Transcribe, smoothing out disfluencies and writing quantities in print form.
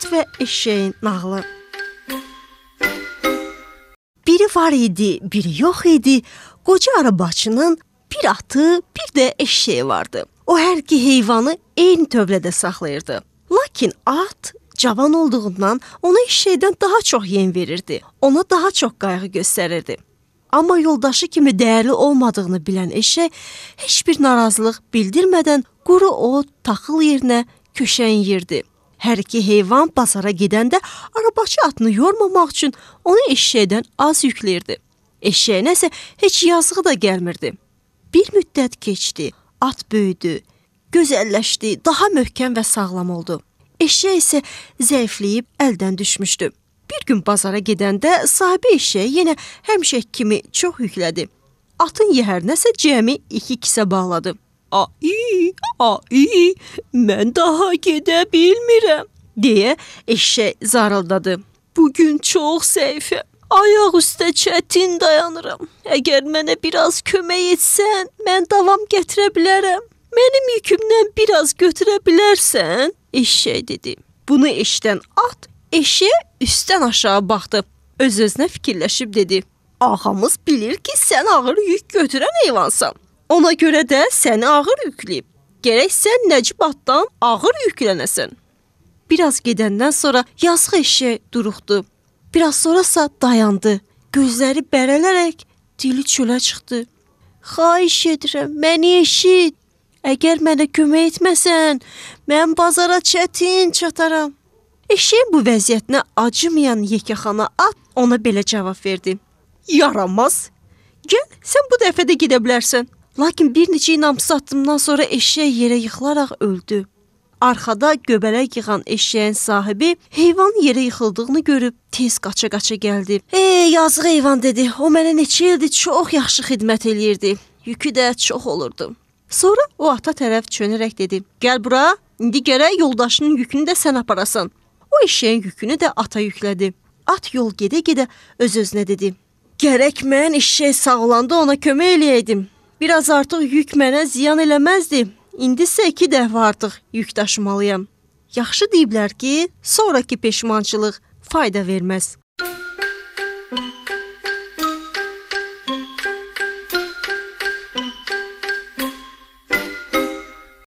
At və eşeğin nağılı. Biri var idi, biri yox idi. Qoca arabacının bir atı, bir də eşeği vardı. O hər iki heyvanı eyni tövlədə saxlayırdı. Lakin at cavan olduğundan ona eşeğdən daha çox yem verirdi. Ona daha çox qayğı göstərirdi. Amma yoldaşı kimi dəyərli olmadığını bilən eşək heç bir narazılıq bildirmədən quru ot, taxıl yerinə köşəyin yerdi. Hər iki heyvan bazara gedəndə arabaçı atını yormamaq üçün onu eşeğdən az yükləyirdi. Eşeğinə isə heç yazığı da gəlmirdi. Bir müddət keçdi, at böyüdü, gözəlləşdi, daha möhkəm və sağlam oldu. Eşək isə zəifləyib əldən düşmüşdü. Bir gün bazara gedəndə sahibi eşəyi yenə həmişə kimi çox yüklədi. Atın yəhərinə isə cəmi 2 kisə bağladı. Ai, mən daha gedə bilmirəm, deyə eşək zarıldadı. Bugün çox zəifəm, ayaq üstə çətin dayanıram. Əgər mənə biraz kömək etsən, mən davam gətirə bilərəm. Mənim yükümdən biraz götürə bilərsən, eşək dedi. Bunu eşidən at eşəyə üstdən aşağı baxdı. Öz-özünə fikirləşib dedi. Ağamız bilir ki, sən ağır yük götürən heyvansan. Ona görə də səni ağır yükləyib. Gərək sən Nəcib atdan ağır yüklənəsən. Biraz gedəndən sonra yazıq eşək duruxdu. Biraz sonrasa dayandı. Gözləri bərələrək dili çölə çıxdı. Xahiş edirəm, məni eşit. Əgər mənə kömək etməsən, mən bazara çətin çataram. Eşəyin bu vəziyyətinə acımayan yekəxana at ona belə cavab verdi. Yaramaz. Gəl, sən bu dəfə də gedə bilərsən. Lakin bir neçə inamsız addımdan sonra eşək yerə yıxılaraq öldü. Arxada göbələk yığan eşəyin sahibi heyvan yerə yıxıldığını görüb tez qaça-qaça gəldi. Yazıq heyvan dedi, o mənə neçə ildir çox yaxşı xidmət eləyirdi. Yükü də çox olurdu. Sonra o ata tərəf çönərək dedi, gəl bura, indi gərək yoldaşının yükünü də sən aparasan. O eşəyin yükünü də ata yüklədi. At yol gedə-gedə öz-özünə dedi, gərək mən eşək sağ olanda ona kömək eləyəydim. Biraz artıq yük mənə ziyan eləməzdi. İndi isə 2 dəfə artıq yük daşımalıyam. Yaxşı deyiblər ki, sonraki peşmançılıq fayda verməz.